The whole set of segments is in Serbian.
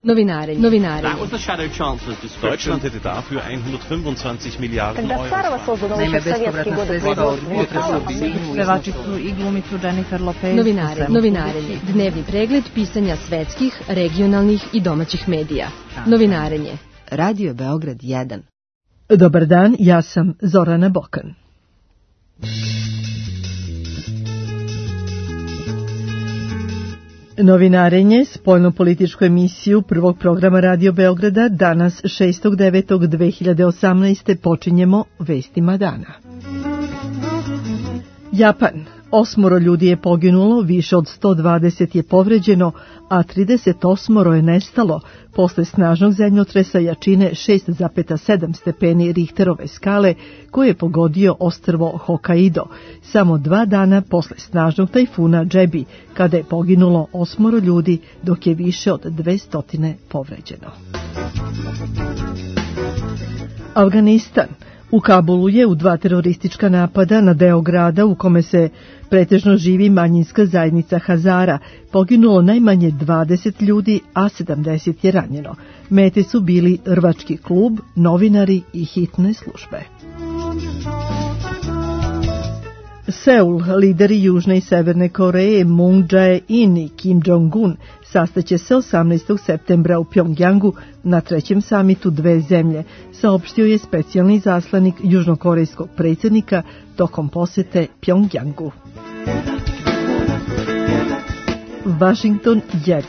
Novinarenje. That was the Shadow Chancellor's description. Deutschland hätte dafür 125 Miliarden Когда Царова создана уже в советские годы Pevačicu i glumicu Jennifer Lopez. Novinarenje. Dnevni pregled pisanja svetskih, regionalnih i domaćih medija. Novinarenje. Radio Beograd 1. Dobar dan, ja sam Zorana Bokan. Novinarenje, spoljno-političku emisiju prvog programa Radio Beograda, danas 6.9.2018. počinjemo vestima dana. Japan. 8 ljudi je poginulo, više od 120 je povređeno, a 38 je nestalo posle snažnog zemljotresa jačine 6,7 stepeni Richterove skale koji je pogodio ostrvo Hokkaido, samo 2 dana posle snažnog tajfuna Jebi, kada je poginulo 8 ljudi, dok je više od 200 povređeno. Afganistan. U Kabulu je u 2 teroristička napada na deo grada u kome se pretežno živi manjinska zajednica Hazara poginulo najmanje 20 ljudi, a 70 je ranjeno. Mete su bili rvački klub, novinari i hitne službe. Seul, lideri Južne i Severne Koreje Moon Jae-in i Kim Jong-un sastaće se 18. septembra u Pjongjangu na 3. samitu dve zemlje, saopštio je specijalni zaslanik južnokorejskog predsjednika tokom posete Pjongjangu. Washington 1.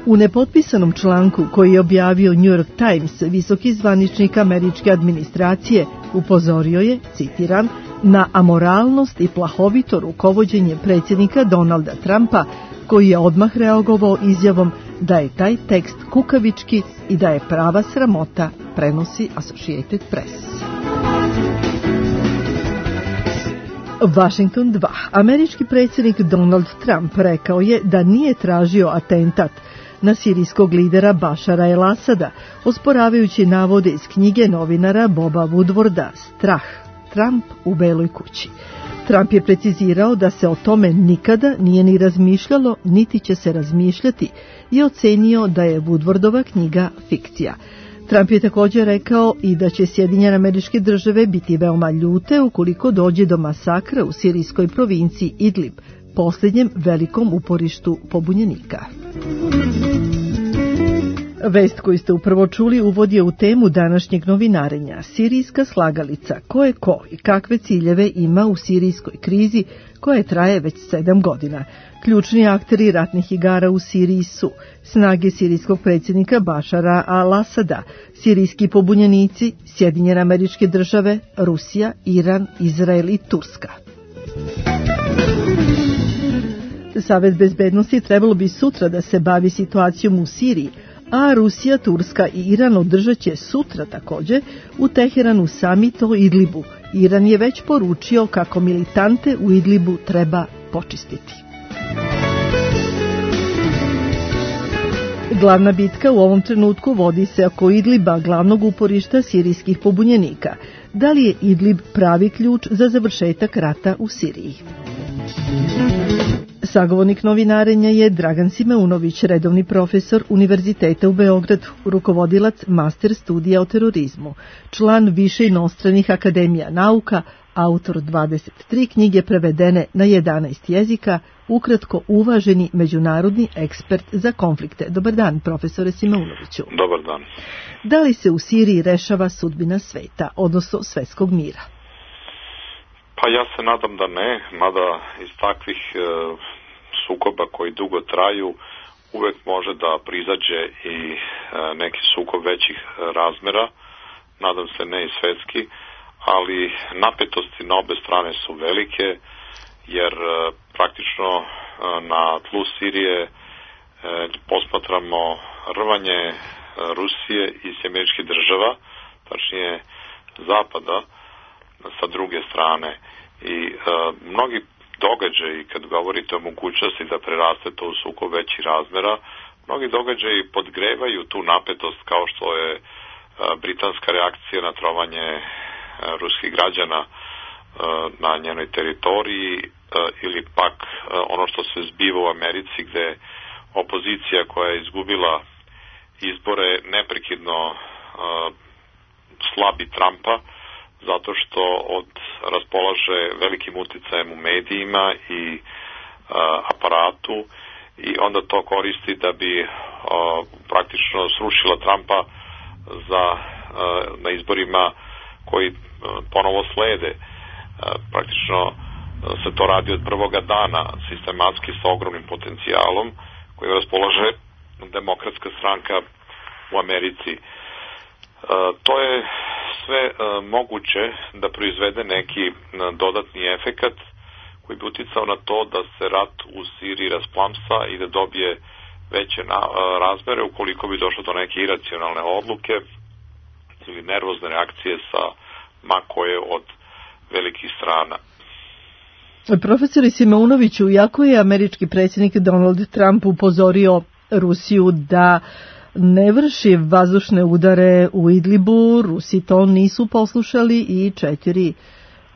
U nepotpisanom članku koji je objavio New York Times, visoki zvaničnik američke administracije upozorio je, citiram, na amoralnost i plahovito rukovođenje predsjednika Donalda Trumpa, koji je odmah reagovao izjavom da je taj tekst kukavički i da je prava sramota, prenosi Associated Press. Washington 2. Američki predsjednik Donald Trump rekao je da nije tražio atentat na sirijskog lidera Bašara el-Asada, osporavajući navode iz knjige novinara Boba Woodwarda Strah, Trump u Beloj kući. Trump je precizirao da se o tome nikada nije ni razmišljalo, niti će se razmišljati, i ocenio da je Woodwardova knjiga fikcija. Trump je također rekao i da će Sjedinjene Američke Države biti veoma ljute ukoliko dođe do masakra u sirijskoj provinciji Idlib, posljednjem velikom uporištu pobunjenika. Vest koju ste upravo čuli uvod je u temu današnjeg novinarenja. Sirijska slagalica. Ko je ko i kakve ciljeve ima u sirijskoj krizi koja traje već 7 godina. Ključni akteri ratnih igara u Siriji su snage sirijskog predsjednika Bašara al-Asada, sirijski pobunjenici, Sjedinjene Američke Države, Rusija, Iran, Izrael i Turska. Savet bezbednosti trebalo bi sutra da se bavi situacijom u Siriji, a Rusija, Turska i Iran održat će sutra također u Teheranu samit o Idlibu. Iran je već poručio kako militante u Idlibu treba počistiti. Glavna bitka u ovom trenutku vodi se oko Idliba, glavnog uporišta sirijskih pobunjenika. Da li je Idlib pravi ključ za završetak rata u Siriji? Sagovornik novinarenja je Dragan Simeunović, redovni profesor Univerziteta u Beogradu, rukovodilac master studija o terorizmu, član više inostranih akademija nauka, autor 23 knjige prevedene na 11 jezika, ukratko uvaženi međunarodni ekspert za konflikte. Dobar dan, profesore Simeunoviću. Dobar dan. Da li se u Siriji rešava sudbina sveta, odnosno svetskog mira? Pa ja se nadam da ne, mada iz takvih sukoba koji dugo traju uvek može da prizađe i neki sukob većih razmera, nadam se ne i svetski, ali napetosti na obe strane su velike, jer praktično na tlu Sirije posmatramo rvanje Rusije i Američkih država, tačnije Zapada, sa druge strane. I mnogi događaji, kad govorite o mogućnosti da preraste to u sukob većih razmera, mnogi događaji podgrevaju tu napetost, kao što je britanska reakcija na trovanje ruskih građana na njenoj teritoriji, ili pak ono što se zbiva u Americi, gde opozicija koja je izgubila izbore neprekidno slabi Trumpa, zato što raspolaže velikim uticajem u medijima i aparatu i onda to koristi da bi praktično srušila Trumpa na izborima koji ponovo slede. Praktično se to radi od prvoga dana, sistematski sa ogromnim potencijalom koji raspolaže Demokratska stranka u Americi. To je sve moguće da proizvede neki dodatni efekat koji bi uticao na to da se rat u Siriji rasplamsa i da dobije veće razmere ukoliko bi došlo do neke iracionalne odluke ili nervozne reakcije sa ma koje od velikih strana. Profesore Simeunoviću, iako je američki predsjednik Donald Trump upozorio Rusiju da ne vrši vazdušne udare u Idlibu, Rusi to nisu poslušali i 4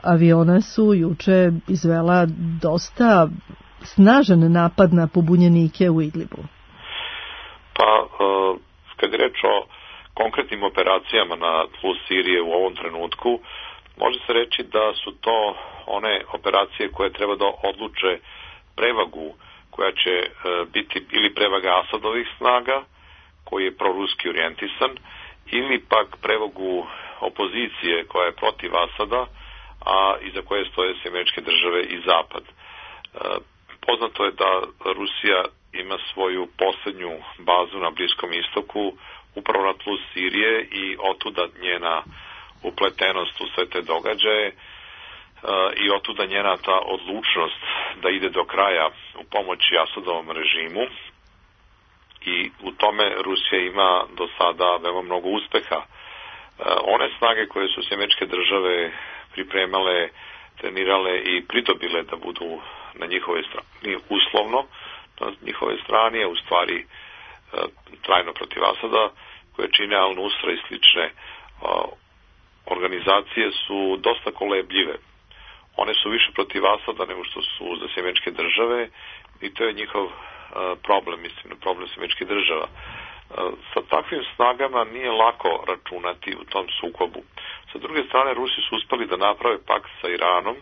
aviona su juče izvela dosta snažan napad na pobunjenike u Idlibu. Pa, kad je reč o konkretnim operacijama na tlu Sirije u ovom trenutku, može se reći da su to one operacije koje treba da odluče prevagu koja će biti ili prevaga Asadovih snaga, koji je proruski orijentisan, ili pak prevagu opozicije koja je protiv Asada, a iza koje stoje Američke države i Zapad. Poznato je da Rusija ima svoju posljednju bazu na Bliskom istoku, upravo na tlu Sirije i otuda njena upletenost u sve te događaje i otuda njena ta odlučnost da ide do kraja u pomoći Asadovom režimu i u tome Rusija ima do sada veoma mnogo uspeha. One snage koje su Američke države pripremale, trenirale i pridobile da budu na njihove strani uslovno, na njihove strane, u stvari trajno protiv Asada, koje čine Al-Nusra i slične organizacije su dosta kolebljive. One su više protiv Asada nego što su za Američke države i to je njihov problem, mislim, problem Američkih država. Sa takvim snagama nije lako računati u tom sukobu. Sa druge strane, Rusi su uspeli da naprave pakt sa Iranom,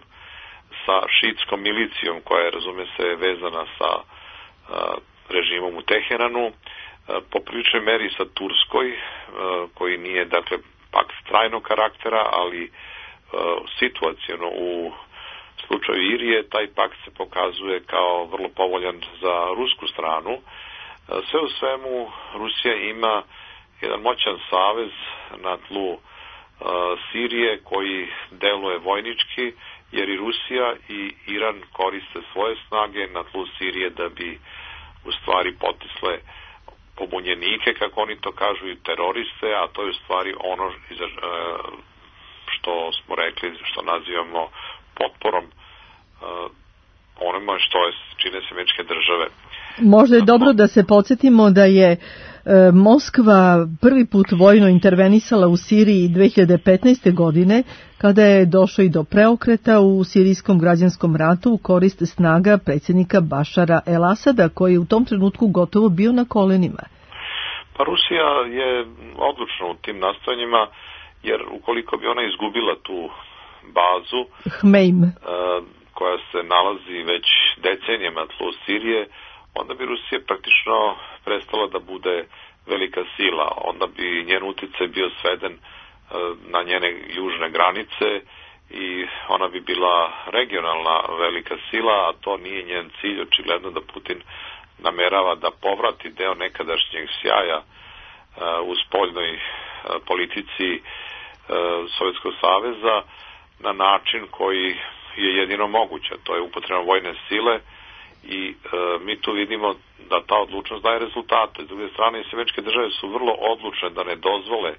sa šiitskom milicijom koja je, razume se, vezana sa režimom u Teheranu, po priličnoj meri sa Turskoj, koji nije, dakle, pakt trajnog karaktera, ali situaciono u slučaju Irije, taj pakt se pokazuje kao vrlo povoljan za rusku stranu. Sve u svemu, Rusija ima jedan moćan savez na tlu Sirije koji deluje vojnički, jer i Rusija i Iran koriste svoje snage na tlu Sirije da bi u stvari potisle pobunjenike, kako oni to kažu, i teroriste, a to je u stvari ono što smo rekli, što nazivamo potporom onima što čine Američke države. Možda je dobro da se podsjetimo da je Moskva prvi put vojno intervenisala u Siriji 2015. godine, kada je došlo i do preokreta u sirijskom građanskom ratu u korist snaga predsjednika Bašara el-Asada, koji je u tom trenutku gotovo bio na kolenima. Pa Rusija je odlučna u tim nastojanjima, jer ukoliko bi ona izgubila tu bazu Hmeim, koja se nalazi već decenijama na tlu Sirije, onda bi Rusija praktično prestala da bude velika sila. Onda bi njen utjecaj bio sveden na njene južne granice i ona bi bila regionalna velika sila, a to nije njen cilj. Očigledno da Putin namerava da povrati deo nekadašnjeg sjaja u spoljnoj politici Sovjetskog saveza na način koji je jedino moguće. To je upotreba vojne sile i mi tu vidimo da ta odlučnost daje rezultate. S druge strane, Američke države su vrlo odlučne da ne dozvole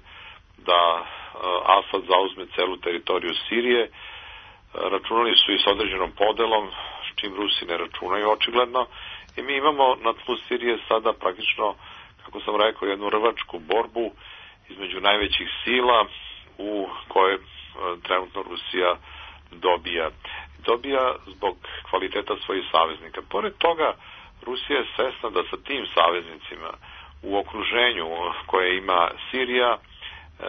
da Asad zauzme celu teritoriju Sirije. Računali su i s određenom podelom, s čim Rusi ne računaju očigledno. I mi imamo na tlu Sirije sada praktično, kako sam rekao, jednu rvačku borbu između najvećih sila u kojoj trenutno Rusija dobija zbog kvaliteta svojih saveznika. Pored toga, Rusija je svesna da sa tim saveznicima u okruženju koje ima Sirija,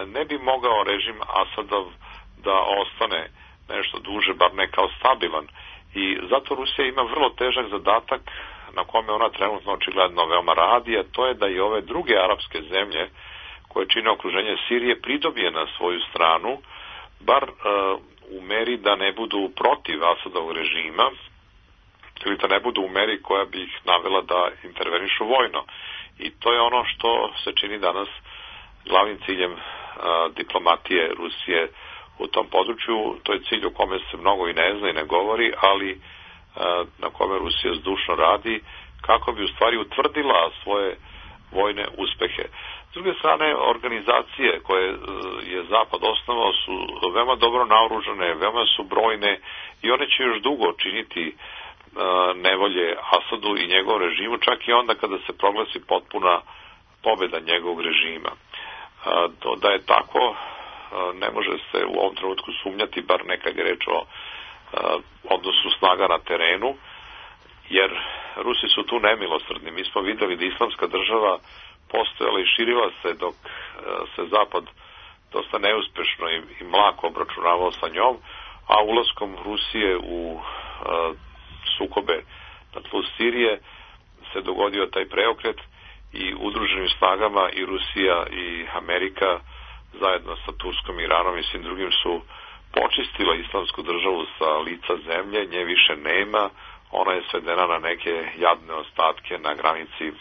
ne bi mogao režim Asadov da ostane nešto duže, bar ne kao stabilan. I zato Rusija ima vrlo težak zadatak na kome ona trenutno očigledno veoma radi, a to je da i ove druge arapske zemlje koje čine okruženje Sirije pridobije na svoju stranu, bar u meri da ne budu protiv Asadovog režima ili da ne budu u meri koja bi ih navela da intervenišu vojno. I to je ono što se čini danas glavnim ciljem diplomatije Rusije u tom području. To je cilj o kome se mnogo i ne zna i ne govori, ali na kome Rusija zdušno radi kako bi u stvari utvrdila svoje vojne uspehe. S druge strane, organizacije koje je Zapad osnovao su veoma dobro naoružane, veoma su brojne i one će još dugo činiti nevolje Asadu i njegovom režimu, čak i onda kada se proglasi potpuna pobjeda njegovog režima. Da je tako, ne može se u ovom trenutku sumnjati, bar nekad je reč o odnosu snaga na terenu, jer Rusi su tu nemilosrdni. Mi smo videli da Islamska država postojala i širila se dok se Zapad dosta neuspešno i mlako obračunavao sa njom, a ulaskom Rusije u sukobe na tlu Sirije se dogodio taj preokret i udruženim snagama i Rusija i Amerika zajedno sa Turskom, Iranom i svim drugim su počistila Islamsku državu sa lica zemlje, nje više nema, ona je svedena na neke jadne ostatke na granici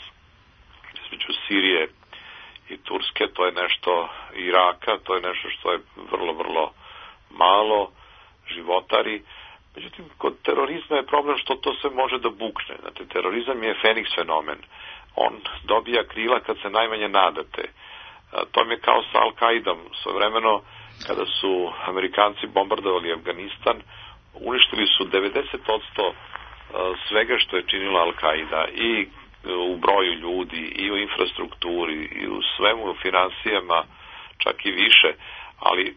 između Sirije i Turske, to je nešto Iraka, to je nešto što je vrlo, vrlo malo, životari. Međutim, kod terorizma je problem što to sve može da bukne. Znate, terorizam je Feniks fenomen. On dobija krila kad se najmanje nadate. To mi je kao sa Al-Kaidom. Svojevremeno, kada su Amerikanci bombardovali Afganistan, uništili su 90% svega što je činila Al-Kaida, i u broju ljudi, i u infrastrukturi, i u svemu, u finansijama, čak i više. Ali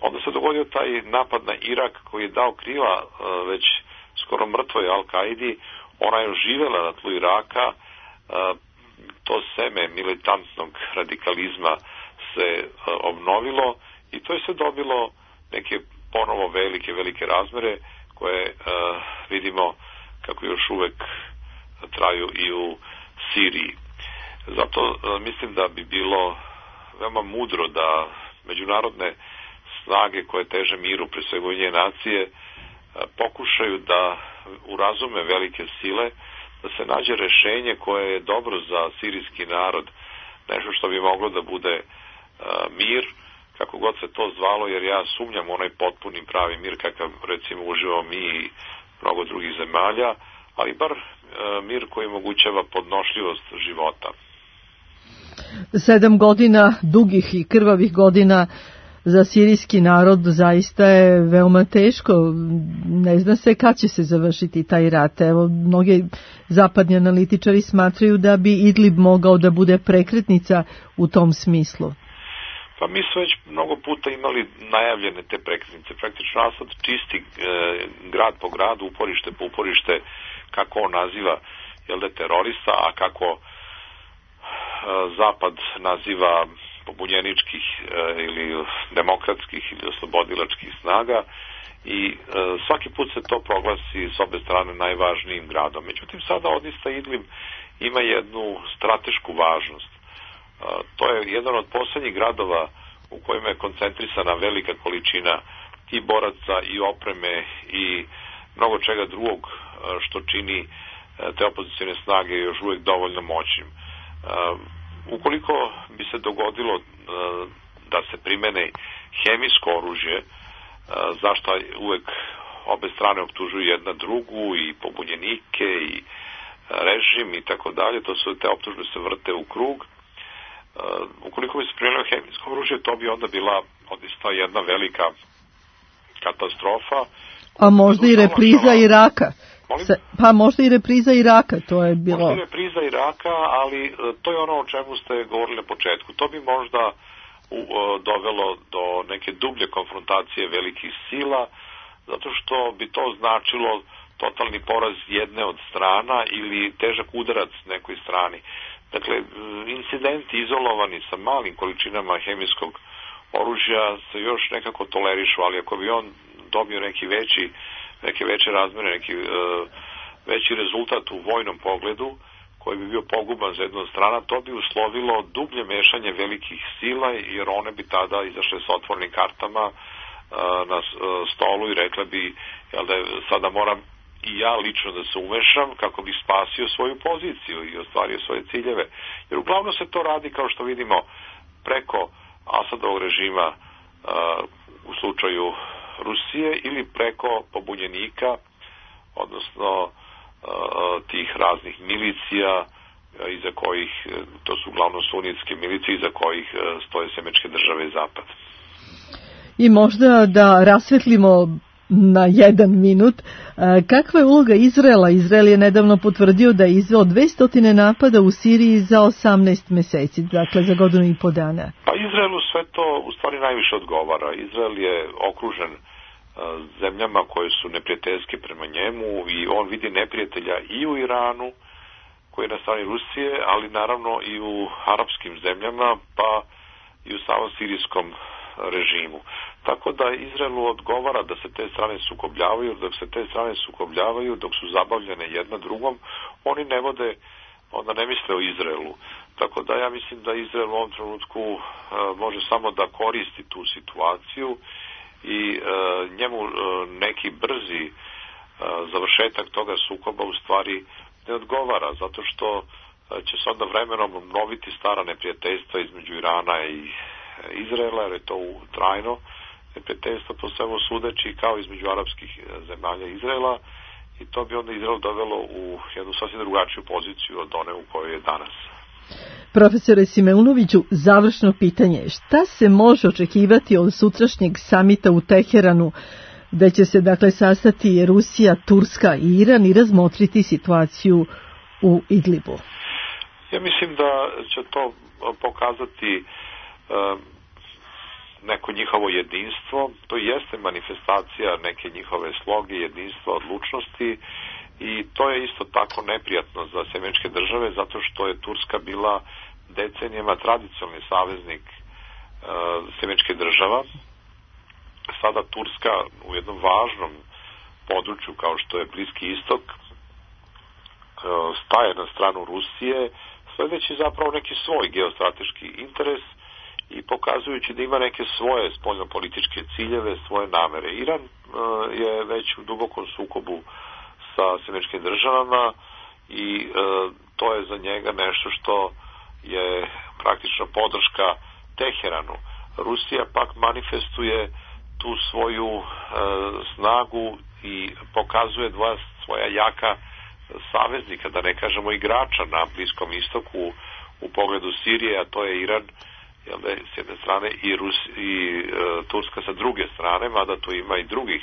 onda se dogodio taj napad na Irak koji je dao krila već skoro mrtvoj Al-Kaidi. Ona je oživjela na tlu Iraka, to seme militantnog radikalizma se obnovilo i to je sve dobilo neke ponovo velike razmere koje vidimo kako još uvek traju i u Siriji. Zato mislim da bi bilo veoma mudro da međunarodne snage koje teže miru, pre svega Ujedinjene nacije, pokušaju da urazume velike sile, da se nađe rešenje koje je dobro za sirijski narod, nešto što bi moglo da bude mir, kako god se to zvalo, jer ja sumnjam onaj potpuni pravi mir kakav recimo uživamo mi i mnogo drugih zemalja, ali bar mir koji omogućava podnošljivost života. 7 godina, dugih i krvavih godina za sirijski narod zaista je veoma teško. Ne zna se kad će se završiti taj rat. Evo, mnogi zapadni analitičari smatraju da bi Idlib mogao da bude prekretnica u tom smislu. Pa mi smo već mnogo puta imali najavljene te prekretnice. Praktično Asad čisti grad po gradu, uporište po uporište, kako on naziva terorista, a kako Zapad naziva pobunjeničkih ili demokratskih ili oslobodilačkih snaga, i svaki put se to proglasi s obe strane najvažnijim gradom. Međutim, sada odista Idlib ima jednu stratešku važnost. To je jedan od poslednjih gradova u kojima je koncentrisana velika količina i boraca i opreme i mnogo čega drugog što čini te opozicijne snage još uvek dovoljno moćnim. Ukoliko bi se dogodilo da se primene hemijsko oružje, zašto uvek obe strane optužuju jedna drugu, i pobunjenike i režim i tako dalje, to su te optužbe se vrte u krug. Ukoliko bi se primenilo hemijsko oružje, to bi onda bila odista jedna velika katastrofa. A možda i repriza Iraka. Pa možda i repriza Iraka, to je bilo. Možda i repriza Iraka, ali to je ono o čemu ste govorili na početku. To bi možda dovelo do neke dublje konfrontacije velikih sila, zato što bi to značilo totalni poraz jedne od strana ili težak udarac nekoj strani. Dakle, incidenti izolovani sa malim količinama hemijskog oružja se još nekako tolerišu, ali ako bi on dobio neke veće razmere, neki veći rezultat u vojnom pogledu, koji bi bio poguban za jednu stranu, to bi uslovilo dublje mešanje velikih sila, jer one bi tada izašle s otvornim kartama na stolu i rekla bi, jel da sada moram i ja lično da se umešam kako bih spasio svoju poziciju i ostvario svoje ciljeve. Jer uglavnom se to radi, kao što vidimo, preko Asadovog režima u slučaju Rusije ili preko pobunjenika, odnosno tih raznih milicija iza kojih, to su uglavnom sunitske milicije iza kojih stoje Sjemeničke države i Zapad. I možda da rasvetlimo na 1 minut, kakva je uloga Izraela? Izrael je nedavno potvrdio da je izveo 200 napada u Siriji za 18 meseci, dakle za godinu i po dana. Pa Izraelu sve to u stvari najviše odgovara. Izrael je okružen zemljama koje su neprijateljske prema njemu i on vidi neprijatelja i u Iranu, koji je na strani Rusije, ali naravno i u arapskim zemljama, pa i u samom sirijskom režimu. Tako da Izraelu odgovara da se te strane sukobljavaju, dok se te strane sukobljavaju, dok su zabavljene jedna drugom, oni ne vode, onda ne misle o Izraelu. Tako da ja mislim da Izrael u ovom trenutku može samo da koristi tu situaciju i njemu neki brzi završetak toga sukoba u stvari ne odgovara, zato što će se onda vremenom obnoviti stara neprijateljstva između Irana i Izraela, jer je to trajno neprijateljstvo po svemu sudeći, kao između arapskih zemalja Izraela, i to bi onda Izrael dovelo u jednu sasvim drugačiju poziciju od one u kojoj je danas. Profesore Simeunoviću, završno pitanje. Šta se može očekivati od sutrašnjeg samita u Teheranu, gde će se dakle sastati Rusija, Turska i Iran i razmotriti situaciju u Idlibu? Ja mislim da će to pokazati neko njihovo jedinstvo. To jeste manifestacija neke njihove sloge, jedinstva, odlučnosti, i to je isto tako neprijatno za Sjemeničke države, zato što je Turska bila decenijama tradicionalni saveznik Sjemeničkih država. Sada Turska u jednom važnom području kao što je Bliski istok staje na stranu Rusije, sledeći zapravo neki svoj geostrateški interes i pokazujući da ima neke svoje spoljnopolitičke ciljeve, svoje namere. Iran je već u dubokom sukobu sa Sjemeničkim državama i to je za njega nešto što je praktično podrška Teheranu. Rusija pak manifestuje tu svoju snagu i pokazuje dva svoja jaka saveznika, da ne kažemo igrača na Bliskom istoku u pogledu Sirije, a to je Iran, s jedne strane, i Turska sa druge strane, mada tu ima i drugih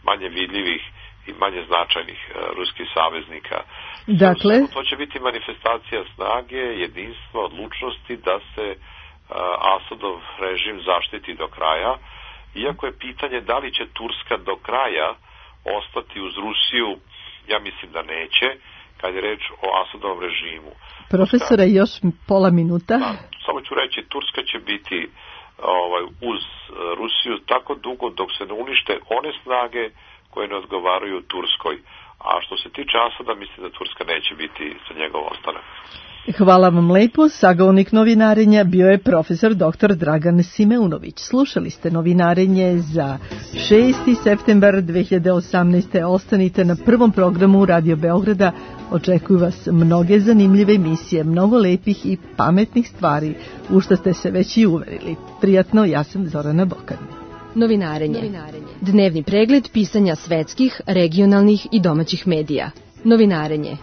manje vidljivih i manje značajnih ruskih saveznika. Dakle, to će biti manifestacija snage, jedinstva, odlučnosti da se Asadov režim zaštiti do kraja, iako je pitanje da li će Turska do kraja ostati uz Rusiju. Ja mislim da neće, kad je reč o Asadovom režimu. Profesore, još pola minuta. Da, samo ću reći, Turska će biti uz Rusiju tako dugo dok se ne unište one snage koje ne odgovaraju Turskoj. A što se tiče Asada, mislim da Turska neće biti za njegov ostanak. Hvala vam lepo. Sagovornik novinarenja bio je profesor dr. Dragan Simeunović. Slušali ste novinarenje za 6. septembar 2018. Ostanite na prvom programu Radio Beograda. Očekuju vas mnoge zanimljive emisije, mnogo lepih i pametnih stvari, u što ste se već i uverili. Prijatno, ja sam Zorana Bokan. Novinarenje. Dnevni pregled pisanja svetskih, regionalnih i domaćih medija. Novinarenje.